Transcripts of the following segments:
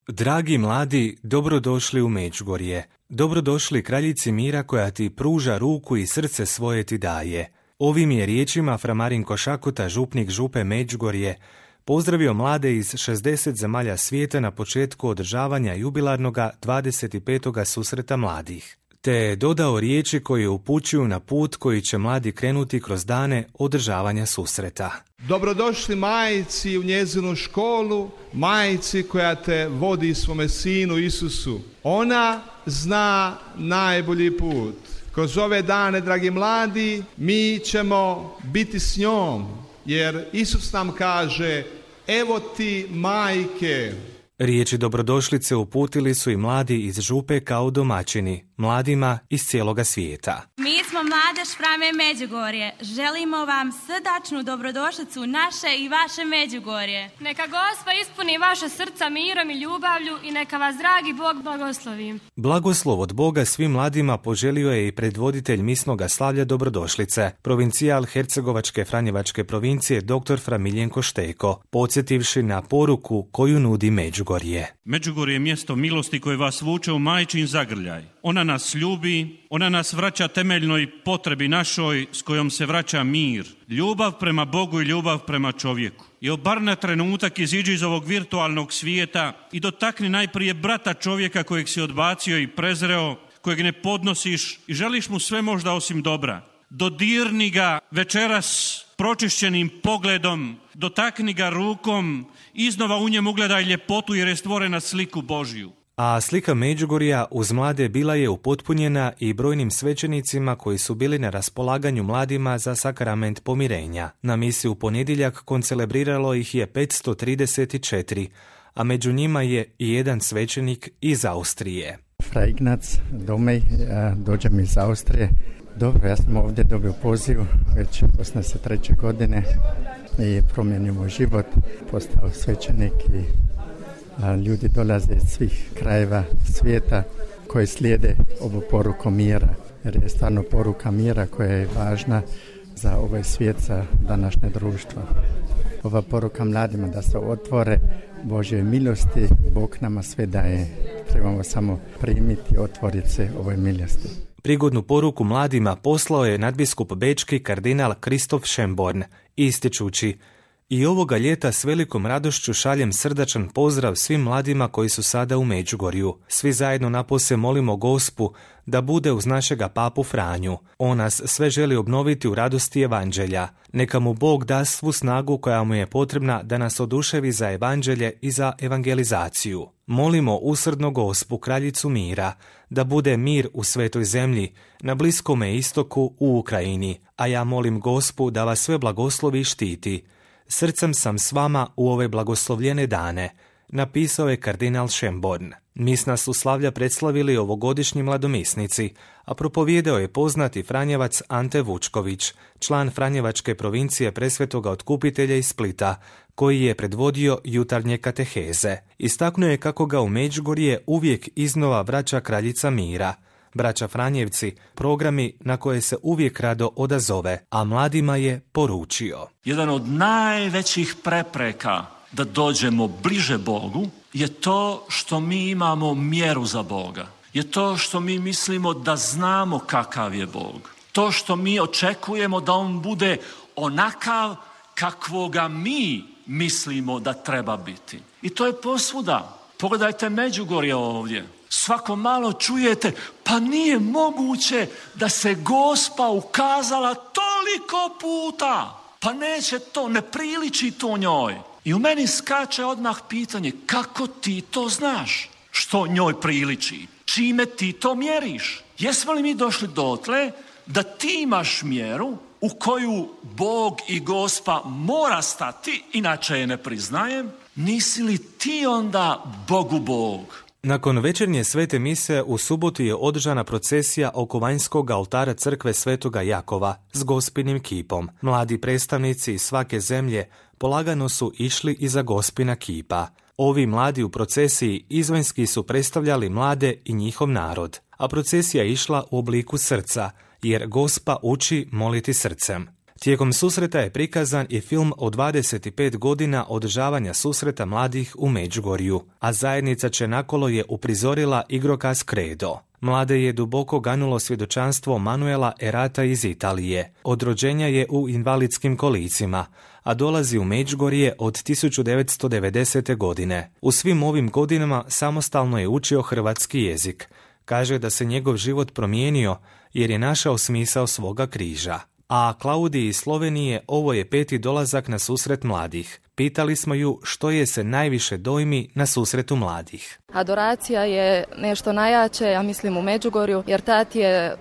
Dragi mladi, dobrodošli u Međugorje. Dobrodošli kraljici mira koja ti pruža ruku i srce svoje ti daje. Ovim je riječima fra Marinko Šakuta, župnik župe Međugorje, pozdravio mlade iz 60 zemalja svijeta na početku održavanja jubilarnoga 25. susreta mladih. Te je dodao riječi koje upućuju na put koji će mladi krenuti kroz dane održavanja susreta. Dobrodošli majici u njezinu školu, majici koja te vodi svome sinu Isusu. Ona zna najbolji put. Kroz ove dane, dragi mladi, mi ćemo biti s njom, jer Isus nam kaže, evo ti majke. Riječi dobrodošlice uputili su i mladi iz župe kao domaćini, mladima iz cijeloga svijeta. Mi smo Mladež Frame Međugorje. Želimo vam srdačnu dobrodošlicu u naše i vaše Međugorje. Neka Gospa ispuni vaše srca mirom i ljubavlju i neka vas dragi Bog blagoslovi. Blagoslov od Boga svim mladima poželio je i predvoditelj misnoga slavlja dobrodošlice, provincijal Hercegovačke Franjevačke provincije dr. fra Miljenko Šteko, podsjetivši na poruku koju nudi Međugorje. Međugorje je mjesto milosti koje vas vuče u majčin zagrljaj. Ona nas ljubi, ona nas vraća temeljnoj potrebi našoj s kojom se vraća mir. Ljubav prema Bogu i ljubav prema čovjeku. I bar na trenutak iziđi iz ovog virtualnog svijeta i dotakni najprije brata čovjeka kojeg si odbacio i prezreo, kojeg ne podnosiš i želiš mu sve možda osim dobra. Dodirni ga večeras pročišćenim pogledom, dotakni ga rukom, iznova u njemu ugledaj ljepotu jer je stvorena sliku Božju. A slika Međugorja uz mlade bila je upotpunjena i brojnim svećenicima koji su bili na raspolaganju mladima za sakrament pomirenja. Na misi u ponedjeljak koncelebriralo ih je 534, a među njima je i jedan svećenik iz Austrije. Fra Ignac Domej, dođem iz Austrije. Dobro, ja sam ovdje dobio poziv već 83. godine i promijenio moj život, postao svećenik i ljudi dolaze iz svih krajeva svijeta koji slijede ovu poruku mira, jer je stvarno poruka mira koja je važna za ovaj svijet, za današnje društvo. Ova poruka mladima da se otvore Božje milosti, Bog nama sve daje, trebamo samo primiti, otvoriti se ovoj milosti. Prigodnu poruku mladima poslao je nadbiskup bečki kardinal Kristof Schönborn, ističući: i ovoga ljeta s velikom radošću šaljem srdačan pozdrav svim mladima koji su sada u Međugorju. Svi zajedno napose molimo Gospu da bude uz našega papu Franju. On nas sve želi obnoviti u radosti evanđelja. Neka mu Bog da svu snagu koja mu je potrebna da nas oduševi za evanđelje i za evangelizaciju. Molimo usrdno Gospu, kraljicu mira, da bude mir u svetoj zemlji, na Bliskome istoku, u Ukrajini, a ja molim Gospu da vas sve blagoslovi i štiti. Srcem sam s vama u ove blagoslovljene dane, napisao je kardinal Schönborn. Misna su slavlja predslavili ovogodišnji mladomisnici, a propovijedao je poznati Franjevac Ante Vučković, član Franjevačke provincije Presvetoga Otkupitelja iz Splita, koji je predvodio jutarnje kateheze. Istaknuo je kako ga u Međugorje uvijek iznova vraća kraljica mira. Braća Franjevci, programi na koje se uvijek rado odazove, a mladima je poručio: jedan od najvećih prepreka da dođemo bliže Bogu je to što mi imamo mjeru za Boga. Je to što mi mislimo da znamo kakav je Bog. To što mi očekujemo da on bude onakav kakvoga mi mislimo da treba biti. I to je posvuda. Pogledajte Međugorje ovdje. Svako malo čujete, pa nije moguće da se Gospa ukazala toliko puta. Pa neće to, ne priliči to njoj. I u meni skače odmah pitanje, kako ti to znaš? Što njoj priliči? Čime ti to mjeriš? Jesmo li mi došli dotle da ti imaš mjeru u koju Bog i Gospa mora stati, inače je ne priznajem? Nisi li ti onda Bogu Bog? Nakon večernje svete mise u subotu je održana procesija oko vanjskog oltara crkve Svetoga Jakova s Gospinim kipom. Mladi predstavnici iz svake zemlje polagano su išli iza Gospina kipa. Ovi mladi u procesiji izvanjski su predstavljali mlade i njihov narod, a procesija išla u obliku srca, jer Gospa uči moliti srcem. Tijekom susreta je prikazan i film o 25 godina održavanja susreta mladih u Međugorju, a zajednica Čenakolo je uprizorila igrokaz Credo. Mlade je duboko ganulo svjedočanstvo Manuela Erata iz Italije. Od rođenja je u invalidskim kolicima, a dolazi u Međugorje od 1990. godine. U svim ovim godinama samostalno je učio hrvatski jezik. Kaže da se njegov život promijenio jer je našao smisao svoga križa. A Klaudiji iz Slovenije ovo je 5. dolazak na susret mladih. Pitali smo ju što je se najviše dojmi na susretu mladih. Adoracija je nešto najjače, ja mislim u Međugorju, jer tad je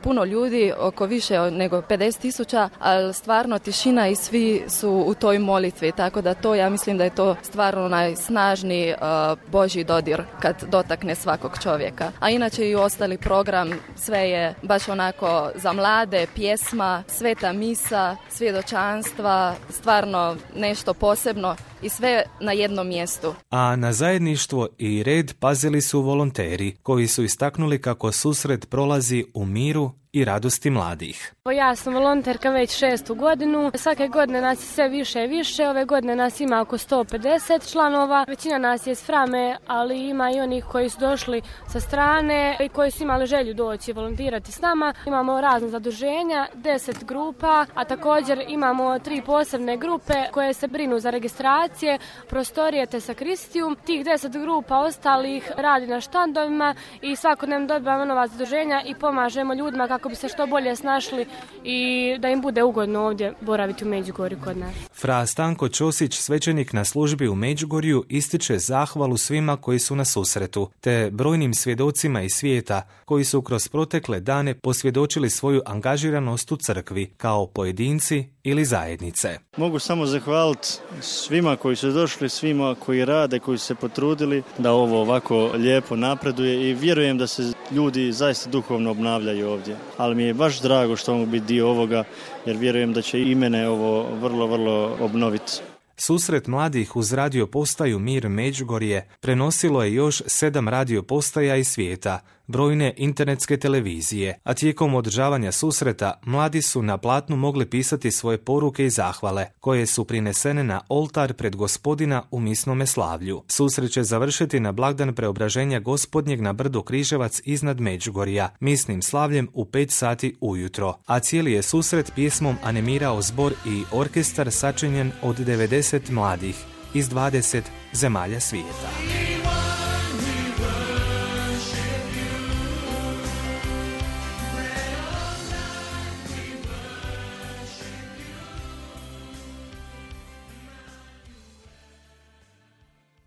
puno ljudi, oko više nego 50.000, ali stvarno tišina i svi su u toj molitvi, tako da to, ja mislim da je to stvarno najsnažniji Božji dodir kad dotakne svakog čovjeka. A inače i ostali program, sve je baš onako za mlade, pjesma, sveta misa, svjedočanstva, stvarno nešto posebno i sve na jednom mjestu. A na zajedništvo i red pazili su volonteri koji su istaknuli kako susret prolazi u miru i radosti mladih. Ja sam volonterka već 6. godinu. Svake godine nas je sve više i više. Ove godine nas ima oko 150 članova. Većina nas je iz Frame, ali ima i onih koji su došli sa strane i koji su imali želju doći volontirati s nama. Imamo razne zaduženja, 10 grupa, a također imamo 3 posebne grupe koje se brinu za registracije, prostorije te sakristiju. Tih 10 grupa ostalih radi na štandovima i svakodnevno dobivamo nova zaduženja i pomažemo ljudima kako bi se što bolje snašli i da im bude ugodno ovdje boraviti u Međugorju kod nas. Fra Stanko Ćosić, svećenik na službi u Međugorju, ističe zahvalu svima koji su na susretu, te brojnim svjedocima iz svijeta koji su kroz protekle dane posvjedočili svoju angažiranost u crkvi, kao pojedinci ili zajednice. Mogu samo zahvaliti svima koji su došli, svima koji rade, koji su se potrudili da ovo ovako lijepo napreduje i vjerujem da se ljudi zaista duhovno obnavljaju ovdje. Ali mi je baš drago što mogu biti dio ovoga, jer vjerujem da će i mene ovo vrlo obnoviti. Susret mladih uz radio postaju Mir Međugorje prenosilo je još 7 radio postaja iz svijeta, brojne internetske televizije, a tijekom održavanja susreta mladi su na platnu mogli pisati svoje poruke i zahvale, koje su prinesene na oltar pred Gospodina u misnome slavlju. Susret će završiti na blagdan Preobraženja Gospodnjeg na brdu Križevac iznad Međugorja, misnim slavljem u 5 sati ujutro, a cijeli je susret pjesmom animirao zbor i orkestar sačinjen od 90 mladih iz 20 zemalja svijeta.